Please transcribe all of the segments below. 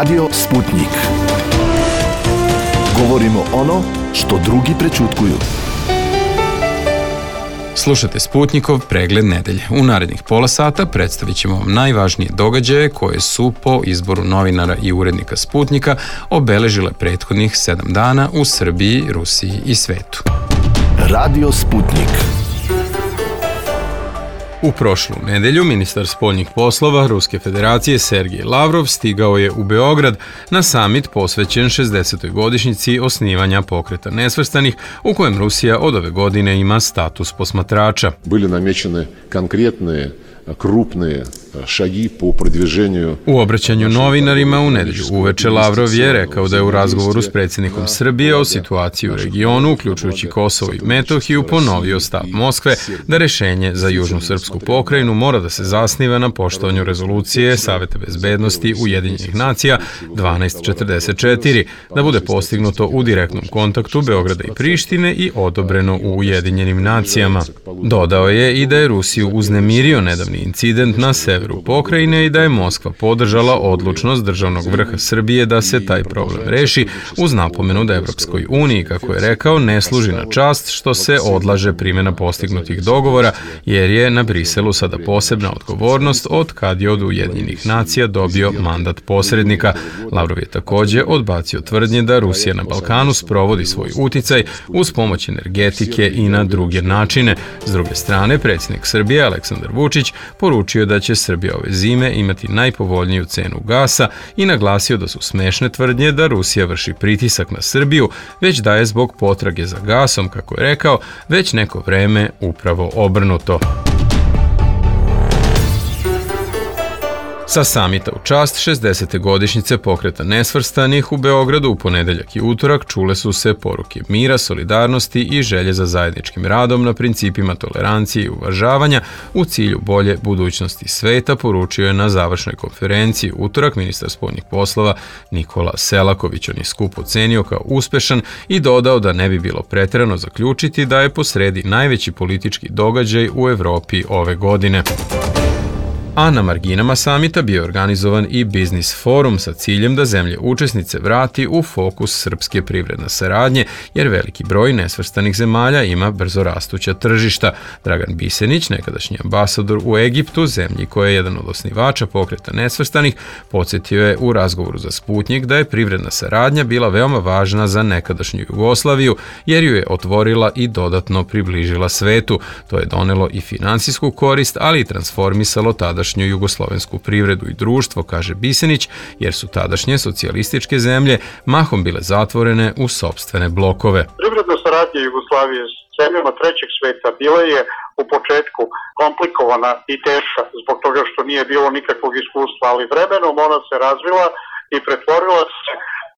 Radio Sputnik. Govorimo ono što drugi prećutkuju. Slušate Sputnikov pregled nedelje. U narednih pola sata predstavit ćemo vam najvažnije događaje koje su po izboru novinara i urednika Sputnika obeležile prethodnih 7 dana u Srbiji, Rusiji i svetu. Radio Sputnik. U prošlu nedelju ministar spoljnih poslova Ruske federacije Sergej Lavrov stigao je u Beograd na samit posvećen 60. godišnjici osnivanja Pokreta nesvrstanih, u kojem Rusija od ove godine ima status posmatrača. Bili namećene konkretne krupne šagi po продвижению. U obraćanju novinarima u nedelju uveče Lavrov je rekao da je u razgovoru s predsjednikom Srbije o situaciji u regionu, uključujući Kosovo i Metohiju, ponovio stav Moskve da rešenje za južnu srpsku pokrajinu mora da se zasniva na poštovanju rezolucije Saveta bezbednosti Ujedinjenih nacija 1244, da bude postignuto u direktnom kontaktu Beograda i Prištine i odobreno u Ujedinjenim nacijama. Dodao je i da je Rusiju uznemirio nedavni incident na severu pokrajine i da je Moskva podržala odlučnost državnog vrha Srbije da se taj problem reši, uz napomenu da Evropskoj uniji, kako je rekao, ne služi na čast što se odlaže primjena postignutih dogovora, jer je na Briselu sada posebna odgovornost od kad je od Ujedinjenih nacija dobio mandat posrednika. Lavrov je također odbacio tvrdnje da Rusija na Balkanu sprovodi svoj uticaj uz pomoć energetike i na druge načine. S druge strane, predsjednik Srbije Aleksandar Vučić poručio da će Srbija ove zime imati najpovoljniju cenu gasa i naglasio da su smešne tvrdnje da Rusija vrši pritisak na Srbiju, već da je zbog potrage za gasom, kako je rekao, već neko vreme upravo obrnuto. Sa samita u čast 60. godišnjice Pokreta nesvrstanih u Beogradu u ponedeljak i utorak čule su se poruke mira, solidarnosti i želje za zajedničkim radom na principima tolerancije i uvažavanja u cilju bolje budućnosti sveta, poručio je na završnoj konferenciji utorak ministar spoljnih poslova Nikola Selaković. On je skup ocenio kao uspešan i dodao da ne bi bilo preterano zaključiti da je posredi najveći politički događaj u Evropi ove godine. A na marginama samita bio je organizovan i biznis forum sa ciljem da zemlje učesnice vrati u fokus srpske privredne saradnje, jer veliki broj nesvrstanih zemalja ima brzo rastuća tržišta. Dragan Bisenić, nekadašnji ambasador u Egiptu, zemlji koja je jedan od osnivača Pokreta nesvrstanih, podsjetio je u razgovoru za Sputnik da je privredna saradnja bila veoma važna za nekadašnju Jugoslaviju, jer ju je otvorila i dodatno približila svetu. To je donelo i finansijsku korist, ali i transformisalo tadašnju jugoslovensku privredu i društvo, kaže Bisenić, jer su tadašnje socijalističke zemlje mahom bile zatvorene u sopstvene blokove. Privredna saradnja Jugoslavije s zemljama trećeg sveta bila je u početku komplikovana i teška zbog toga što nije bilo nikakvog iskustva, ali vremenom ona se razvila i pretvorila se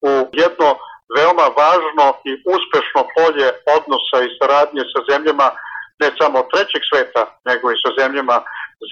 u jedno veoma važno i uspešno polje odnosa i saradnje sa zemljama ne samo trećeg sveta, nego i sa zemljama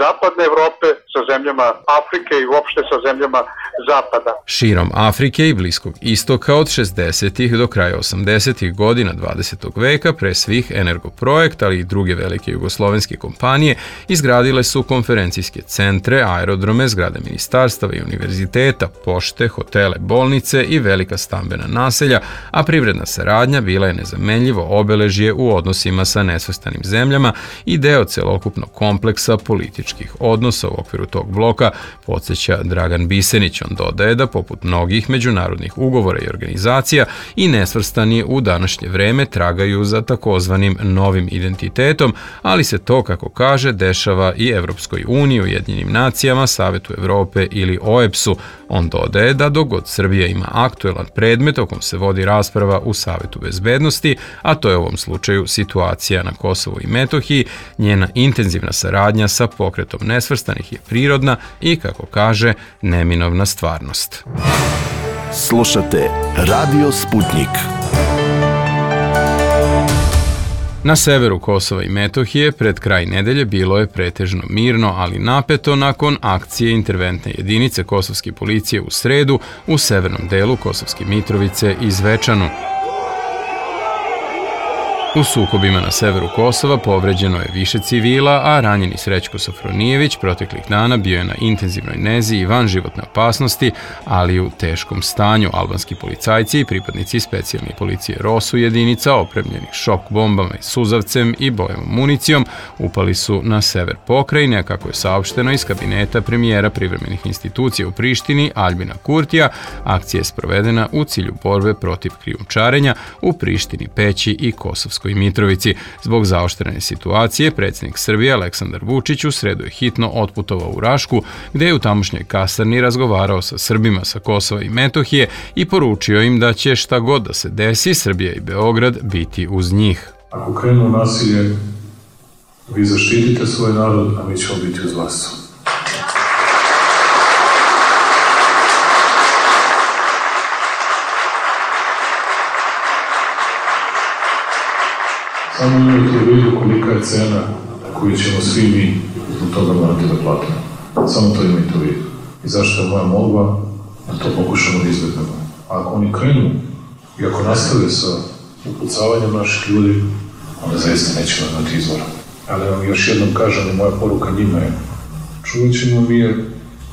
Zapadne Evrope, sa zemljama Afrike i uopšte sa zemljama Zapada. Širom Afrike i Bliskog istoka od 60. do kraja 80. godina 20. veka pre svih Energoprojekt, ali i druge velike jugoslovenske kompanije izgradile su konferencijske centre, aerodrome, zgrade ministarstava i univerziteta, pošte, hotele, bolnice i velika stambena naselja, a privredna saradnja bila je nezamenljivo obeležje u odnosima sa nesvrstanim zemljama i deo celokupnog kompleksa političkih odnosa u okviru tog bloka, podsjeća Dragan Bisenić. On dodaje da poput mnogih međunarodnih ugovora i organizacija i nesvrstani u današnje vreme tragaju za takozvanim novim identitetom, ali se to, kako kaže, dešava i Evropskoj uniji, Ujedinjenim nacijama, Savetu Evrope ili OEBS-u. On dodaje da dok god Srbija ima aktuelan predmet o kom se vodi rasprava u Savetu bezbednosti, a to je u ovom slučaju situacija na Kosovu i Metohiji, njena intenzivna saradnja sa Pokretom nesvrstanih je prirodna i, kako kaže, neminovna stvarnost. Slušate Radio Sputnik. Na severu Kosova i Metohije pred kraj nedelje bilo je pretežno mirno, ali napeto nakon akcije interventne jedinice kosovske policije u sredu u severnom delu Kosovske Mitrovice i Zvečanu. U sukobima na severu Kosova povređeno je više civila, a ranjeni Srećko Sofronijević proteklih dana bio je na intenzivnoj nezi i van životne opasnosti, ali u teškom stanju. Albanski policajci i pripadnici specijalne policije ROSU jedinica opremljeni šok bombama i suzavcem i bojevom municijom upali su na sever pokrajine, a kako je saopšteno iz kabineta premijera privremenih institucija u Prištini Aljbina Kurtija, akcija je sprovedena u cilju borbe protiv krijumčarenja u Prištini, Peći i Kosovskoj Mitrovici. Zbog zaoštrene situacije, predsjednik Srbije Aleksandar Vučić u sredu je hitno otputovao u Rašku, gde je u tamošnjoj kasarni razgovarao sa Srbima sa Kosova i Metohije i poručio im da će šta god da se desi, Srbija i Beograd biti uz njih. Ako krenu nasilje, vi zaštitite svoj narod, a mi ćemo biti uz vas. Samo imajte u vidu kolika je cena koju ćemo svi mi zbog toga morati da platimo. Samo to imajte u vidu. I zašto je moja molba da to pokušamo da izvedemo. A ako oni krenu i ako nastave sa upucavanjem naših ljudi, onda zaista nećemo imati izvora. Ali vam još jednom kažem i moja poruka njima je: čuvat ćemo mir,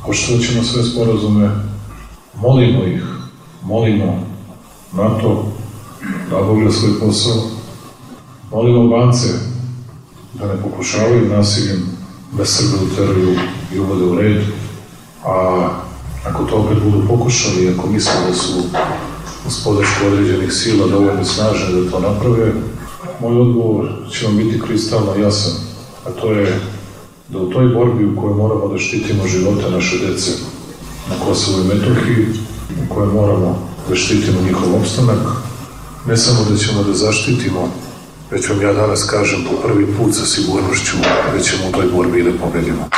poštovat ćemo sve sporazume, molimo ih, molimo NATO da obavlja svoj posao, molimo Albance da ne pokušavaju nasiljem da Srbe uteraju i uvode u red, a ako to opet budu pokušali, ako misle da su uz podršku određenih sila dovoljno snažne da to naprave, moj odgovor će vam biti kristalno jasan, a to je da u toj borbi u kojoj moramo da štitimo živote naše dece na Kosovu i Metohiji, u kojoj moramo da štitimo njihov opstanak, ne samo da ćemo da zaštitimo, već vam ja danas kažem po prvi put sa sigurnošću da ćemo u toj borbi da pobedimo.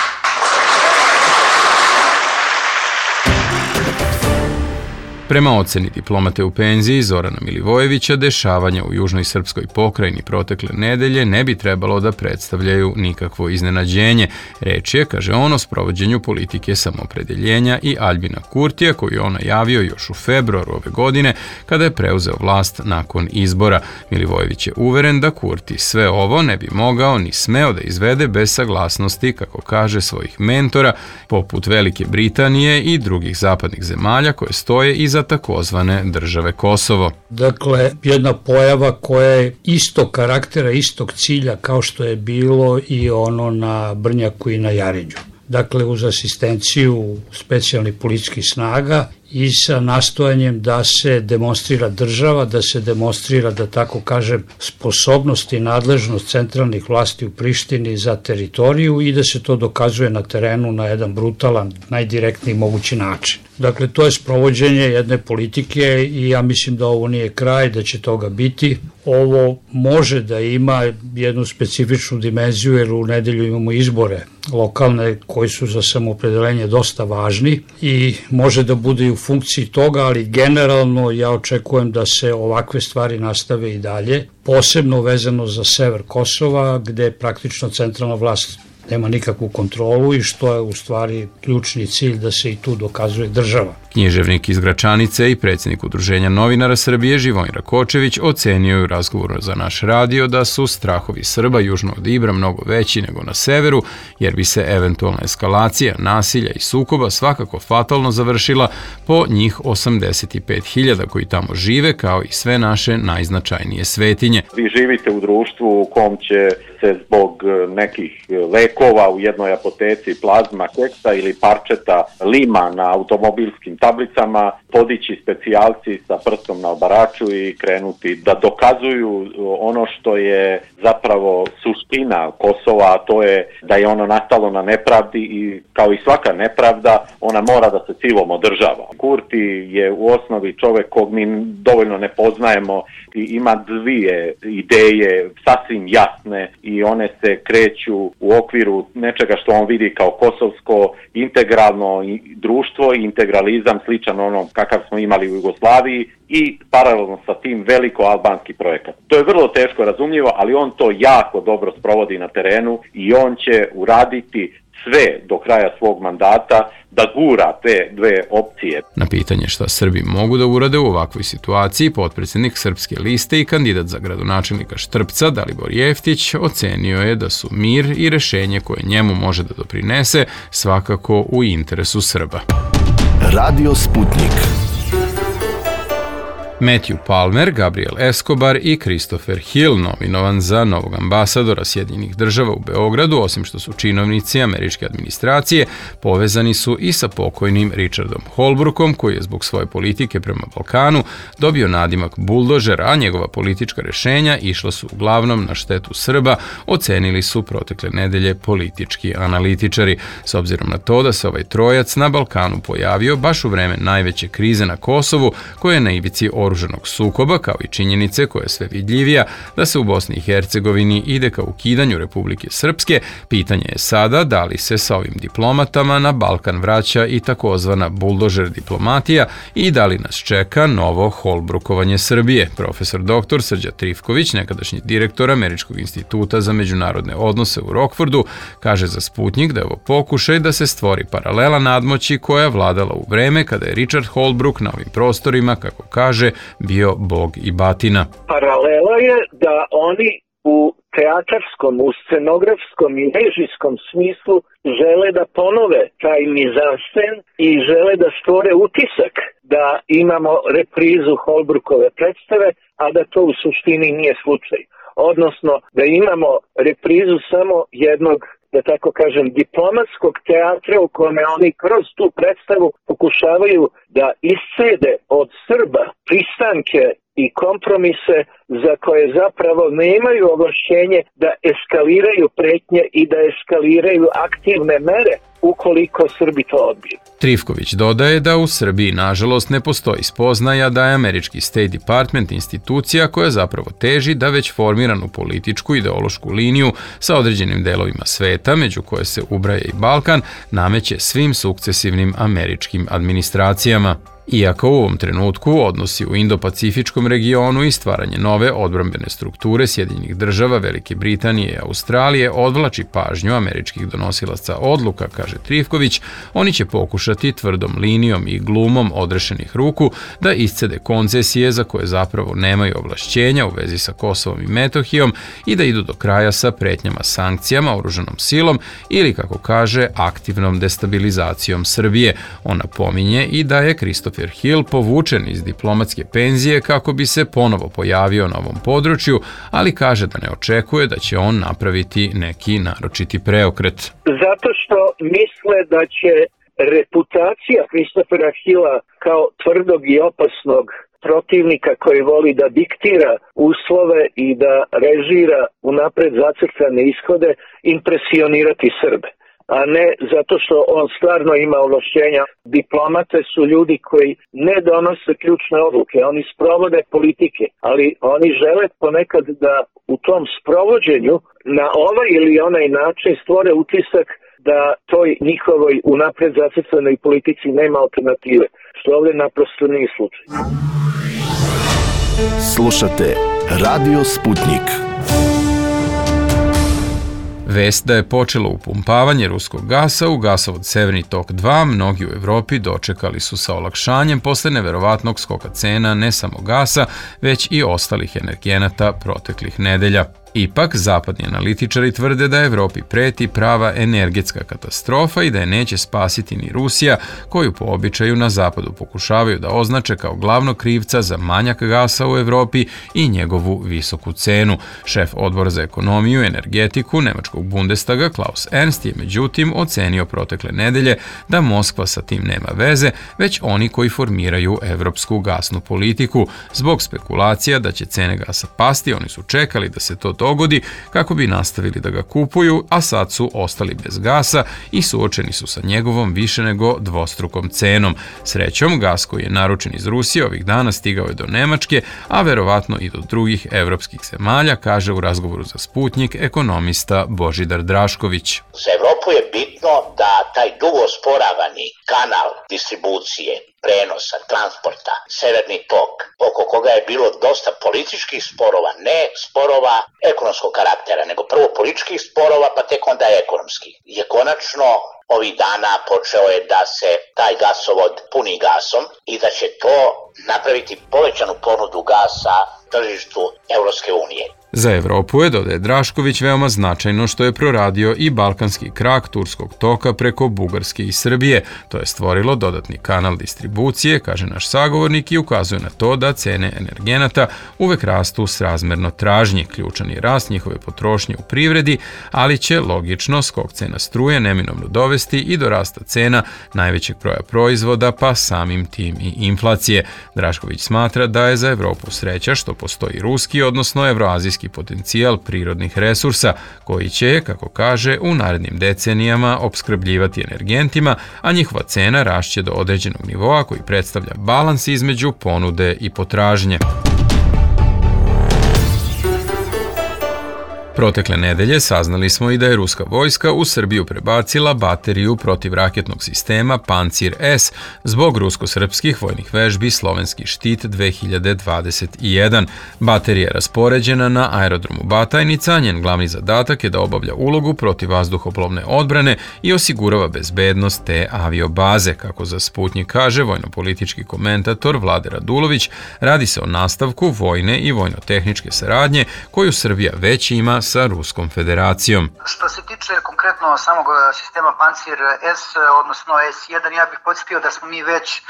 Prema oceni diplomate u penziji Zorana Milivojevića, dešavanja u južnoj srpskoj pokrajini protekle nedelje ne bi trebalo da predstavljaju nikakvo iznenađenje. Reč je, kaže on, o sprovođenju politike samoopredeljenja i Aljbina Kurtija, koju je on najavio još u februaru ove godine, kada je preuzeo vlast nakon izbora. Milivojević je uveren da Kurti sve ovo ne bi mogao ni smeo da izvede bez saglasnosti, kako kaže, svojih mentora, poput Velike Britanije i drugih zapadnih zemalja koje stoje iza takozvane države Kosovo. Dakle, jedna pojava koja je istog karaktera, istog cilja kao što je bilo i ono na Brnjaku i na Jarinju. Dakle, uz asistenciju specijalnih policijskih snaga i sa nastojanjem da se demonstrira država, da se demonstrira, da tako kažem, sposobnost i nadležnost centralnih vlasti u Prištini za teritoriju i da se to dokazuje na terenu na jedan brutalan, najdirektniji mogući način. Dakle, to je sprovođenje jedne politike i ja mislim da ovo nije kraj, da će toga biti. Ovo može da ima jednu specifičnu dimenziju jer u nedelju imamo izbore lokalne koji su za samoopredeljenje dosta važni i može da bude i u funkciji toga, ali generalno ja očekujem da se ovakve stvari nastave i dalje, posebno vezano za sever Kosova, gde praktično centralna vlast nema nikakvu kontrolu i što je u stvari ključni cilj da se i tu dokazuje država. Književnik iz Gračanice i predsjednik Udruženja novinara Srbije Živojin Rakočević ocenio je u razgovoru za naš radio da su strahovi Srba južno od Ibra mnogo veći nego na severu, jer bi se eventualna eskalacija nasilja i sukoba svakako fatalno završila po njih 85.000 koji tamo žive, kao i sve naše najznačajnije svetinje. Vi živite u društvu u kom će se zbog nekih lekova u jednoj apoteci, plazma, keksa ili parčeta lima na automobilskim tablicama podići specijalci sa prstom na obaraču i krenuti da dokazuju ono što je zapravo suština Kosova, a to je da je ono nastalo na nepravdi i kao i svaka nepravda ona mora da se silom održava. Kurti je u osnovi čovek kog mi dovoljno ne poznajemo i ima dvije ideje sasvim jasne i one se kreću u okviru nečega što on vidi kao kosovsko integralno društvo i integralizam mehanizam sličan onom kakav smo imali u Jugoslaviji i paralelno sa tim veliko-albanski projekat. To je vrlo teško razumljivo, ali on to jako dobro sprovodi na terenu i on će uraditi sve do kraja svog mandata da gura te dve opcije. Na pitanje šta Srbi mogu da urade u ovakvoj situaciji, potpredsjednik Srpske liste i kandidat za gradonačelnika Štrpca, Dalibor Jeftić, ocenio je da su mir i rešenje koje njemu može da doprinese svakako u interesu Srba. Radio Sputnik. Matthew Palmer, Gabriel Escobar i Christopher Hill, nominovan za novog ambasadora Sjedinjenih država u Beogradu, osim što su činovnici američke administracije, povezani su i sa pokojnim Richardom Holbrookom, koji je zbog svoje politike prema Balkanu dobio nadimak buldožera, a njegova politička rešenja išla su uglavnom na štetu Srba, ocenili su protekle nedelje politički analitičari. S obzirom na to da se ovaj trojac na Balkanu pojavio baš u vreme najveće krize na Kosovu, koja je na ivici oružanog sukoba, kao i činjenice koja je sve vidljivija da se u Bosni i Hercegovini ide ka ukidanju Republike Srpske, pitanje je sada da li se sa ovim diplomatama na Balkan vraća i takozvana buldožer diplomatija i da li nas čeka novo Holbrookovanje Srbije. Profesor dr. Srđa Trifković, nekadašnji direktor Američkog instituta za međunarodne odnose u Rockfordu, kaže za Sputnik da je ovo pokušaj da se stvori paralela nadmoći koja je vladala u vreme kada je Richard Holbrooke na ovim prostorima, kako kaže, bio bog i batina. Paralela je da oni u teatarskom, u scenografskom i režijskom smislu žele da ponove taj mizansen i žele da stvore utisak da imamo reprizu Holbrookove predstave, a da to u suštini nije slučaj. Odnosno da imamo reprizu samo jednog, da tako kažem, diplomatskog teatra u kome oni kroz tu predstavu pokušavaju da iscede od Srba pristanke i kompromise za koje zapravo nemaju ovlašćenje da eskaliraju pretnje i da eskaliraju aktivne mere ukoliko Srbi to odbiju. Trifković dodaje da u Srbiji nažalost ne postoji spoznaja da je američki State Department institucija koja zapravo teži da već formiranu političku ideološku liniju sa određenim delovima sveta, među koje se ubraja i Balkan, nameće svim sukcesivnim američkim administracijama. Iako u ovom trenutku odnosi u Indo-Pacifičkom regionu i stvaranje nove odbrambene strukture Sjedinjenih država, Velike Britanije i Australije odvlači pažnju američkih donosilaca odluka, kaže Trifković, oni će pokušati tvrdom linijom i glumom odrešenih ruku da iscede koncesije za koje zapravo nemaju ovlašćenja u vezi sa Kosovom i Metohijom i da idu do kraja sa pretnjama sankcijama, oružanom silom ili, kako kaže, aktivnom destabilizacijom Srbije. Ona pominje i da je Christopher Hill povučen iz diplomatske penzije kako bi se ponovo pojavio na ovom području, ali kaže da ne očekuje da će on napraviti neki naročiti preokret. Zato što misle da će reputacija Christophera Hilla kao tvrdog i opasnog protivnika koji voli da diktira uslove i da režira unapred zacrtane ishode impresionirati Srbe, a ne zato što on stvarno ima ovlašćenja. Diplomate su ljudi koji ne donose ključne odluke, oni sprovode politike, ali oni žele ponekad da u tom sprovođenju na ovaj ili onaj način stvore utisak da toj njihovoj unapred zacrtanoj politici nema alternative, što ovdje naprosto nije slučaj. Slušate Radio Sputnik. Vest da je počelo upumpavanje ruskog gasa u gasovod Severni tok 2, mnogi u Evropi dočekali su sa olakšanjem posle neverovatnog skoka cena ne samo gasa, već i ostalih energenata proteklih nedelja. Ipak, zapadni analitičari tvrde da Evropi preti prava energetska katastrofa i da je neće spasiti ni Rusija, koju po običaju na zapadu pokušavaju da označe kao glavnog krivca za manjak gasa u Evropi i njegovu visoku cenu. Šef odbora za ekonomiju i energetiku nemačkog Bundestaga Klaus Ernst je međutim ocenio protekle nedelje da Moskva sa tim nema veze, već oni koji formiraju evropsku gasnu politiku. Zbog spekulacija da će cene gasa pasti, oni su čekali da se to dogodi kako bi nastavili da ga kupuju, a sad su ostali bez gasa i suočeni su sa njegovom više nego dvostrukom cenom. Srećom, gas koji je naručen iz Rusije ovih dana stigao je do Nemačke, a verovatno i do drugih evropskih zemalja, kaže u razgovoru za Sputnik ekonomista Božidar Drašković. Za Evropu je bitno da taj dugo sporavani kanal distribucije, prenosa, transporta, Severni tok, oko koga je bilo dosta političkih sporova, ne sporova ekonomskog karaktera, nego prvo političkih sporova, pa tek onda ekonomskih, je konačno ovih dana počeo je da se taj gasovod puni gasom i da će to napraviti povećanu ponudu gasa tržištu Evropske unije. Za Evropu je, dodaje Drašković, veoma značajno što je proradio i balkanski krak turskog toka preko Bugarske i Srbije. To je stvorilo dodatni kanal distribucije, kaže naš sagovornik, i ukazuje na to da cene energenata uvek rastu srazmerno tražnji. Ključan je rast njihove potrošnje u privredi, ali će logično skok cena struje neminovno dovesti i do rasta cena najvećeg broja proizvoda, pa samim tim i inflacije. Drašković smatra da je za Evropu sreća što postoji ruski, odnosno evroazijski potencijal prirodnih resursa, koji će, kako kaže, u narednim decenijama opskrbljivati energentima, a njihova cena rašće do određenog nivoa koji predstavlja balans između ponude i potražnje. Protekle nedelje saznali smo i da je ruska vojska u Srbiju prebacila bateriju protivraketnog sistema Pancir S zbog rusko-srpskih vojnih vežbi Slovenski štit 2021. Baterija je raspoređena na aerodromu Batajnica, njen glavni zadatak je da obavlja ulogu protivvazduhoplovne odbrane i osigurava bezbednost te aviobaze. Kako za Sputnjik kaže vojno-politički komentator Vlade Radulović, radi se o nastavku vojne i vojno-tehničke saradnje koju Srbija već ima sa Ruskom federacijom. Što se tiče konkretno samog sistema Pancir S, odnosno S1, ja bih podsjetio da smo mi već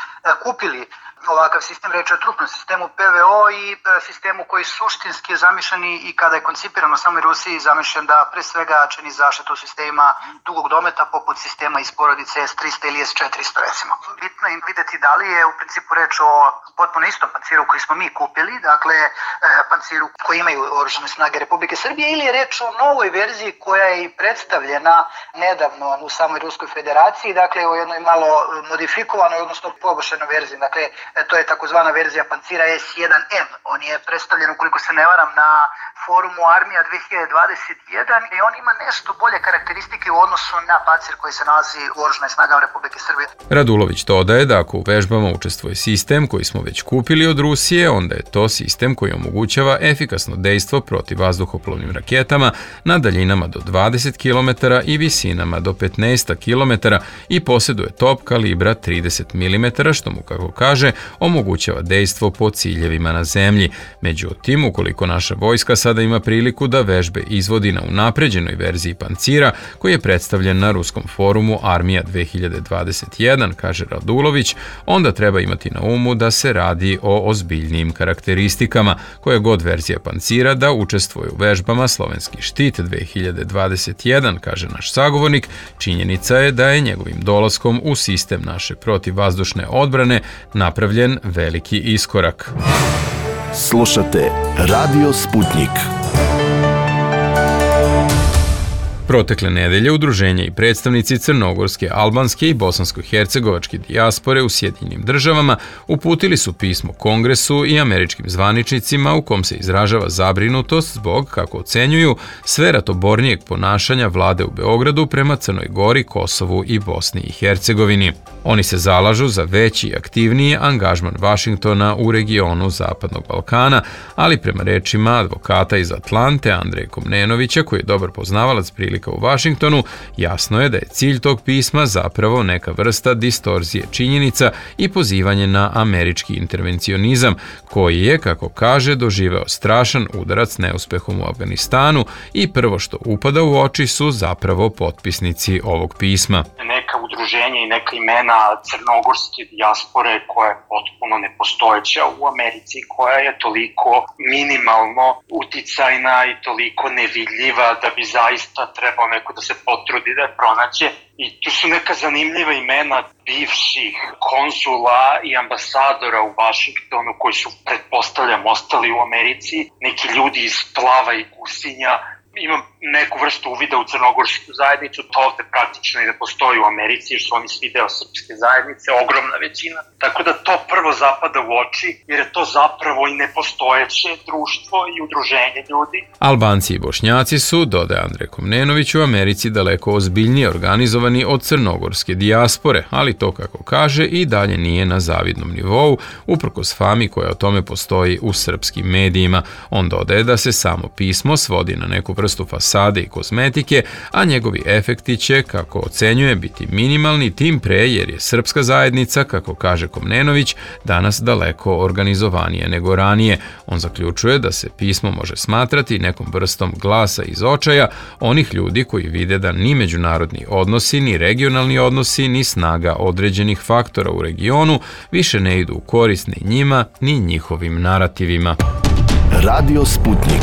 kupili ovakav sistem, reč je o trupnom sistemu PVO i sistemu koji suštinski je zamišljen i kada je koncipirano samo u Rusiji zamišljen da pre svega čini zaštitu sistema dugog dometa poput sistema iz porodice S300 ili S400 recimo. Bitno je videti da li je u principu reč o potpuno istom panciru koji smo mi kupili, dakle panciru koji imaju oružane snage Republike Srbije, ili je reč o novoj verziji koja je i predstavljena nedavno u samoj Ruskoj federaciji, dakle o jednoj malo modifikovanoj, odnosno poboljšanoj verziji, dakle to je takozvana verzija pancira S1M. On je predstavljen, ukoliko se ne varam, na forumu Armija 2021 i on ima nešto bolje karakteristike u odnosu na pancir koji se nalazi u oružanim snagama Republike Srbije. Radulović dodaje da ako u vežbama učestvuje sistem koji smo već kupili od Rusije, onda je to sistem koji omogućava efikasno dejstvo protiv vazduhoplovnim raketama na daljinama do 20 km i visinama do 15 km i posjeduje top kalibra 30 mm, što mu, kako kaže, omogućava dejstvo po ciljevima na zemlji. Međutim, ukoliko naša vojska sada ima priliku da vežbe izvodi na unapređenoj verziji pancira, koji je predstavljen na ruskom forumu Armija 2021, kaže Radulović, onda treba imati na umu da se radi o ozbiljnijim karakteristikama. Koja god verzija pancira da učestvuje u vežbama Slovenski štit 2021, kaže naš sagovornik, činjenica je da je njegovim dolaskom u sistem naše protivvazdušne odbrane napravljen veliki iskorak. Slušate Radio Sputnik. Protekle nedelje udruženja i predstavnici crnogorske, albanske i bosansko-hercegovačke dijaspore u Sjedinjenim državama uputili su pismo Kongresu i američkim zvaničnicima u kom se izražava zabrinutost zbog, kako ocenjuju, sve ratobornijeg ponašanja vlade u Beogradu prema Crnoj Gori, Kosovu i Bosni i Hercegovini. Oni se zalažu za veći i aktivniji angažman Vašingtona u regionu Zapadnog Balkana, ali prema rečima advokata iz Atlante Andreja Komnenovića, koji je dobar poznavalac prilika u Vašingtonu, jasno je da je cilj tog pisma zapravo neka vrsta distorzije činjenica i pozivanje na američki intervencionizam, koji je, kako kaže, doživeo strašan udarac neuspehom u Afganistanu i prvo što upada u oči su zapravo potpisnici ovog pisma. Neka udruženja i neka imena crnogorske dijaspore koja je potpuno nepostojeća u Americi, koja je toliko minimalno uticajna i toliko nevidljiva da bi zaista trebao neko da se potrudi da je pronađe. I tu su neka zanimljiva imena bivših konzula i ambasadora u Vašingtonu koji su, pretpostavljam, ostali u Americi, neki ljudi iz Plava i Gusinja imam neku vrstu uvida u crnogorsku zajednicu, to ovde praktično i ne postoji u Americi, jer su oni svi deo srpske zajednice, ogromna većina. Tako da to prvo zapada u oči, jer je to zapravo i nepostojeće društvo i udruženje ljudi. Albanci i Bošnjaci su, dodaje Andrej Komnenović, u Americi daleko ozbiljnije organizovani od crnogorske dijaspore, ali to, kako kaže, i dalje nije na zavidnom nivou, uprkos fami koja o tome postoji u srpskim medijima. On dodaje da se samo pismo svodi na neku vrstu fasade i kozmetike, a njegovi efekti će, kako ocenjuje, biti minimalni, tim pre jer je srpska zajednica, kako kaže Komnenović, danas daleko organizovanije nego ranije. On zaključuje da se pismo može smatrati nekom vrstom glasa iz očaja onih ljudi koji vide da ni međunarodni odnosi, ni regionalni odnosi, ni snaga određenih faktora u regionu više ne idu u korist ni njima, ni njihovim narativima. Radio Sputnik.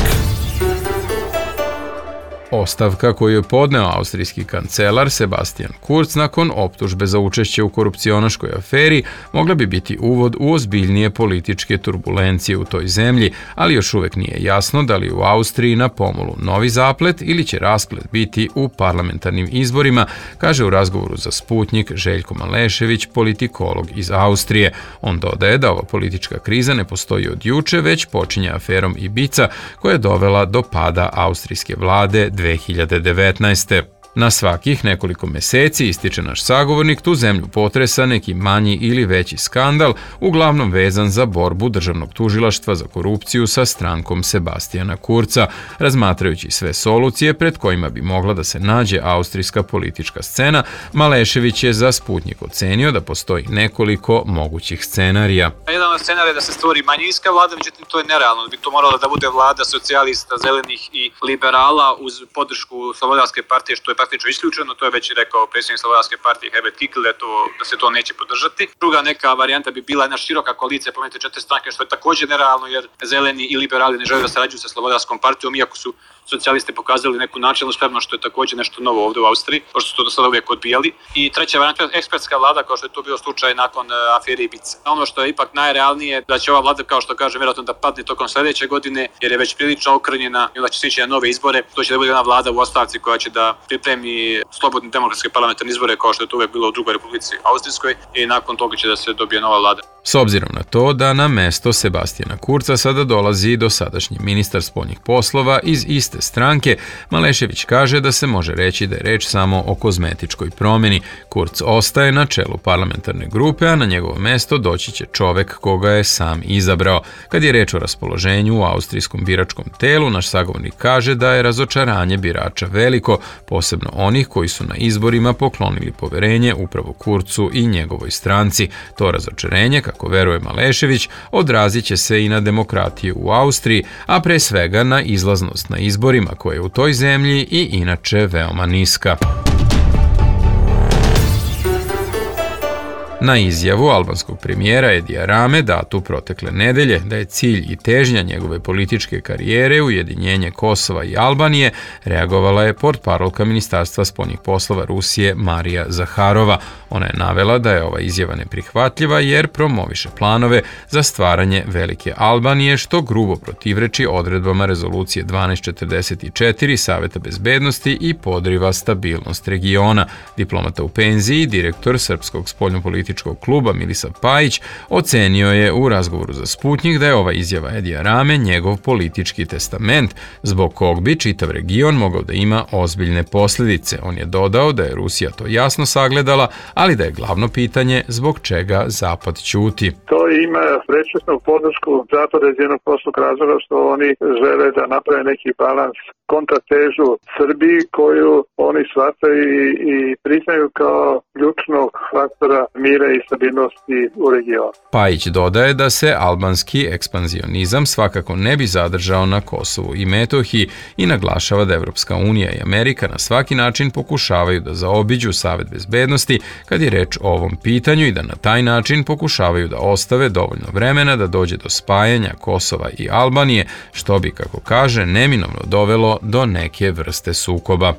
Ostavka koju je podneo austrijski kancelar Sebastian Kurz nakon optužbe za učešće u korupcionaškoj aferi mogla bi biti uvod u ozbiljnije političke turbulencije u toj zemlji, ali još uvek nije jasno da li u Austriji na pomolu novi zaplet ili će rasplet biti u parlamentarnim izborima, kaže u razgovoru za Sputnik Željko Malešević, politikolog iz Austrije. On dodaje da ova politička kriza ne postoji od juče, već počinje aferom Ibiza koja je dovela do pada austrijske vlade 2019. Na svakih nekoliko meseci, ističe naš sagovornik, tu zemlju potresa neki manji ili veći skandal, uglavnom vezan za borbu državnog tužilaštva za korupciju sa strankom Sebastiana Kurza. Razmatrajući sve solucije pred kojima bi mogla da se nađe austrijska politička scena, Malešević je za Sputnik ocenio da postoji nekoliko mogućih scenarija. Jedan od scenarija je da se stvori manjinska vlada, međutim to je nerealno. Bi to morala da bude vlada socijalista, zelenih i liberala uz podršku Slobodarske partije, što je praktično isključeno, to je već rekao predsjednik Slobodarske partije Herbert Kickl, da se to neće podržati. Druga neka varijanta bi bila jedna široka koalicija, pomenite 4 stranke, što je također nerealno jer zeleni i liberali ne žele da sarađuju sa Slobodarskom partijom, iako su socijalisti pokazali neku načelnu spremnost, što je također nešto novo ovdje u Austriji, pošto su to do sada uvijek odbijali. I treća varijanta je ekspertska vlada, kao što je to bio slučaj nakon afere Ibiza. Ono što je ipak najrealnije da će ova vlada, kao što kažem, vjerojatno da padne tokom sljedeće godine, jer je već prilično okrnjena i onda će se ići na nove izbore. To će da bude jedna vlada u ostavci koja će da pripremi slobodne demokratske parlamentarne izbore, kao što je to uvijek bilo u drugoj Republici Austrijskoj, i nakon toga će da se dobije nova vlada. S obzirom na to da na mesto Sebastiana Kurza sada dolazi dosadašnji ministar spoljnih poslova iz iste stranke, Malešević kaže da se može reći da je reč samo o kozmetičkoj promjeni. Kurz ostaje na čelu parlamentarne grupe, a na njegovo mesto doći će čovek koga je sam izabrao. Kad je reč o raspoloženju u austrijskom biračkom telu, naš sagovornik kaže da je razočaranje birača veliko, posebno onih koji su na izborima poklonili poverenje upravo Kurzu i njegovoj stranci. To razočarenje, kako veruje Malešević, odrazit će se i na demokratiju u Austriji, a pre svega na izlaznost na izborima koja je u toj zemlji i inače veoma niska. Na izjavu albanskog premijera Edija Rame datu protekle nedelje da je cilj i težnja njegove političke karijere ujedinjenje Kosova i Albanije, reagovala je portparolka Ministarstva spoljnih poslova Rusije Marija Zaharova. Ona je navela da je ova izjava neprihvatljiva jer promoviše planove za stvaranje velike Albanije, što grubo protivreči odredbama rezolucije 1244 Saveta bezbednosti i podriva stabilnost regiona. Diplomata u penziji, direktor Srpskog spoljnopolitičkog kluba Milisav Pajić ocenio je u razgovoru za Sputnik da je ova izjava Edija Rame njegov politički testament, zbog kog bi čitav region mogao da ima ozbiljne posljedice. On je dodao da je Rusija to jasno sagledala, ali da je glavno pitanje zbog čega Zapad ćuti. To ima prečesnu podršku Zapada iz jednog prostog razloga što oni žele da naprave neki balans, kontratežu Srbiji koju oni shvataju i priznaju kao ključnog faktora mira i stabilnosti u regionu. Pajić dodaje da se albanski ekspanzionizam svakako ne bi zadržao na Kosovu i Metohiji i naglašava da Evropska unija i Amerika na svaki način pokušavaju da zaobiđu Savet bezbednosti kad je reč o ovom pitanju i da na taj način pokušavaju da ostave dovoljno vremena da dođe do spajanja Kosova i Albanije, što bi, kako kaže, neminovno dovelo do neke vrste sukoba.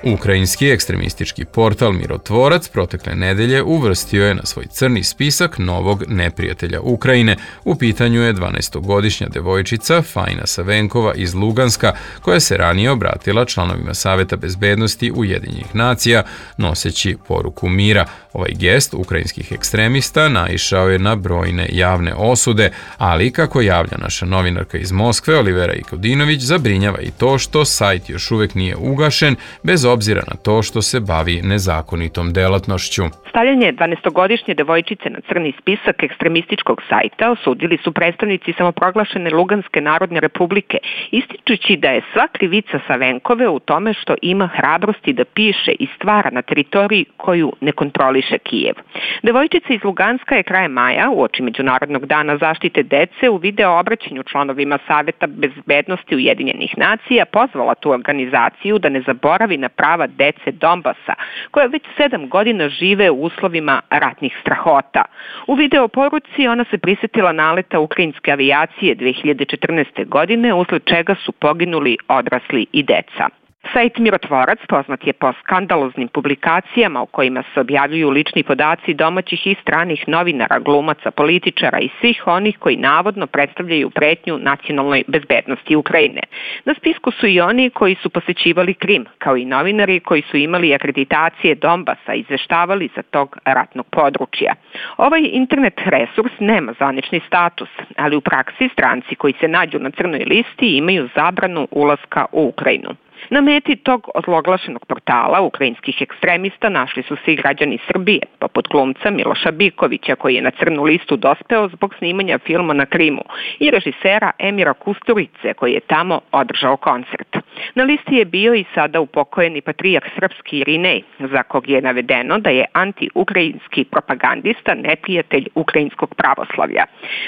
Ukrajinski ekstremistički portal Mirotvorac protekle nedelje uvrstio je na svoj crni spisak novog neprijatelja Ukrajine. U pitanju je 12-godišnja devojčica Fajna Savenkova iz Luganska, koja se ranije obratila članovima Saveta bezbednosti Ujedinjenih nacija noseći poruku mira. Ovaj gest ukrajinskih ekstremista naišao je na brojne javne osude, ali kako javlja naša novinarka iz Moskve Olivera Ikodinović, zabrinjava i to što sajt još uvek nije ugašen, bez obzira na to što se bavi nezakonitom delatnošću. Stavljanje 12-godišnje devojčice na crni spisak ekstremističkog sajta osudili su predstavnici samoproglašene Luganske narodne republike, ističući da je sva krivica Savenkove u tome što ima hrabrosti da piše i stvara na teritoriji koju ne kontroliše Kijev. Devojčica iz Luganska je krajem maja, uoči Međunarodnog dana zaštite dece, u video obraćanju članovima Saveta bezbednosti Ujedinjenih nacija pozvala tu organizaciju da ne zaboravi na prava dece Donbasa, koja već 7 godina žive u uslovima ratnih strahota. U video poruci ona se prisjetila naleta ukrajinske avijacije 2014. godine, usled čega su poginuli odrasli i deca. Sajt Mirotvorac poznat je po skandaloznim publikacijama u kojima se objavljuju lični podaci domaćih i stranih novinara, glumaca, političara i svih onih koji navodno predstavljaju pretnju nacionalnoj bezbednosti Ukrajine. Na spisku su i oni koji su posećivali Krim, kao i novinari koji su imali akreditacije Donbasa i izveštavali sa tog ratnog područja. Ovaj internet resurs nema zvanični status, ali u praksi stranci koji se nađu na crnoj listi imaju zabranu ulaska u Ukrajinu. Na meti tog ozloglašenog portala ukrajinskih ekstremista našli su se i građani Srbije, poput glumca Miloša Bikovića, koji je na crnu listu dospeo zbog snimanja filma na Krimu, i režisera Emira Kusturice, koji je tamo održao koncert. Na listi je bio i sada upokojeni patrijarh srpski Irinej, za kog je navedeno da je anti-ukrajinski propagandista, neprijatelj ukrajinskog pravoslavlja.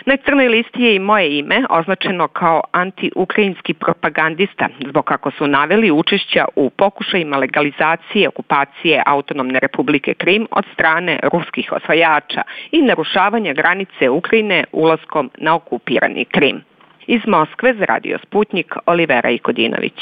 Na crnoj listi je i moje ime označeno kao anti-ukrajinski propagandista, zbog kako su naveli učešća u pokušajima legalizacije okupacije Autonomne republike Krim od strane ruskih osvajača i narušavanja granice Ukrajine ulaskom na okupirani Krim. Iz Moskve za Radio Sputnik, Olivera Ikodinović.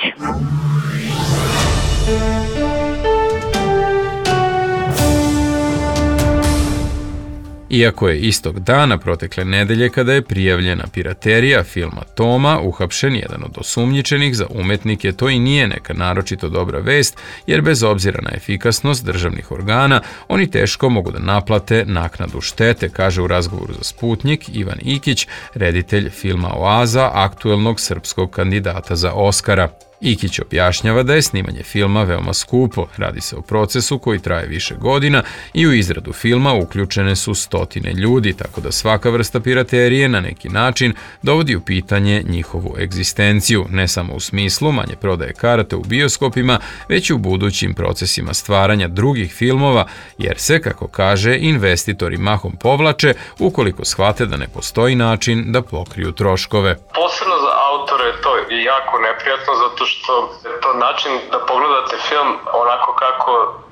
Iako je istog dana protekle nedelje, kada je prijavljena piraterija filma Toma, uhapšen jedan od osumnjičenih, za umetnike to i nije neka naročito dobra vest, jer bez obzira na efikasnost državnih organa, oni teško mogu da naplate naknadu štete, kaže u razgovoru za Sputnik Ivan Ikić, reditelj filma Oaza, aktuelnog srpskog kandidata za Oskara. Ikić objašnjava da je snimanje filma veoma skupo, radi se o procesu koji traje više godina i u izradu filma uključene su stotine ljudi, tako da svaka vrsta piraterije na neki način dovodi u pitanje njihovu egzistenciju, ne samo u smislu manje prodaje karata u bioskopima, već i u budućim procesima stvaranja drugih filmova, jer se, kako kaže, investitori mahom povlače ukoliko shvate da ne postoji način da pokriju troškove. Posebno za autore je to jako neprijatno, zato što je to način da pogledate film onako kako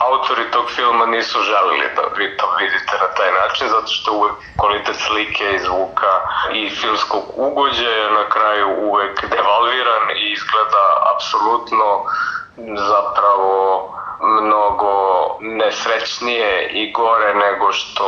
autori tog filma nisu želili da vi to vidite na taj način, zato što uvek kvalitet slike i zvuka i filmskog ugođaja na kraju uvek devalviran i izgleda apsolutno zapravo mnogo nesrećnije i gore nego što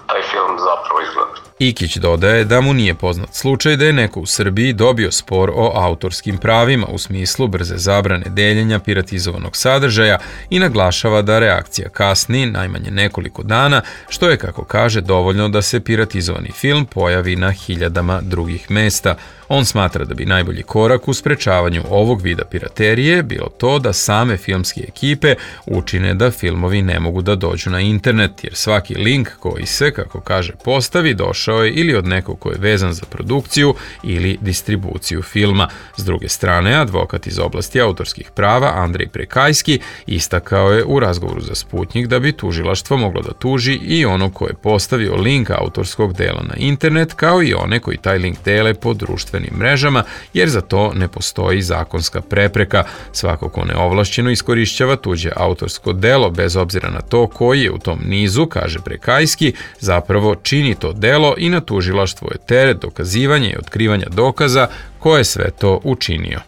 taj film zapravo izgleda. Ikić dodaje da mu nije poznat slučaj da je neko u Srbiji dobio spor o autorskim pravima u smislu brze zabrane deljenja piratizovanog sadržaja i naglašava da reakcija kasni najmanje nekoliko dana, što je, kako kaže, dovoljno da se piratizovani film pojavi na hiljadama drugih mesta. On smatra da bi najbolji korak u sprečavanju ovog vida piraterije bilo to da same filmske ekipe učine da filmovi ne mogu da dođu na internet, jer svaki link koji se, kako kaže, postavi došao je ili od nekog ko je vezan za produkciju ili distribuciju filma. S druge strane, advokat iz oblasti autorskih prava Andrej Prekajski istakao je u razgovoru za Sputnik da bi tužilaštvo moglo da tuži i onog ko je postavio link autorskog dela na internet, kao i one koji taj link dele po društvenim mrežama, jer za to ne postoji zakonska prepreka. Svako ko neovlašćeno iskorišćava tuđe autorsko delo, bez obzira na to koji je u tom nizu, kaže Prekajski, zapravo čini to delo i na tužilaštvo je teret dokazivanja i otkrivanja dokaza ko je sve to učinio.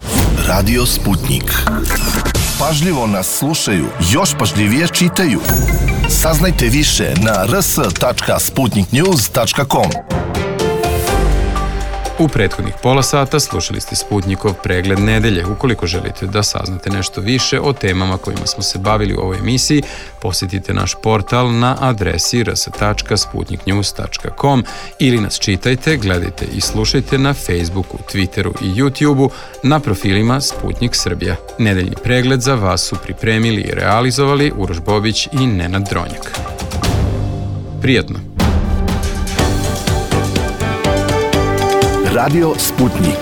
Radio Sputnik. pažljivo nas slušaju, još pažljivije čitaju. Saznajte više na rs.sputniknews.com. U prethodnih pola sata slušali ste Sputnikov pregled nedelje. Ukoliko želite da saznate nešto više o temama kojima smo se bavili u ovoj emisiji, posjetite naš portal na adresi rs.sputniknews.com ili nas čitajte, gledajte i slušajte na Facebooku, Twitteru i YouTubeu na profilima Sputnik Srbija. Nedeljni pregled za vas su pripremili i realizovali Uroš Bobić i Nenad Dronjak. Prijatno! Radio Sputnik.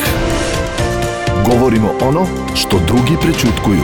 Govorimo ono što drugi prećutkuju.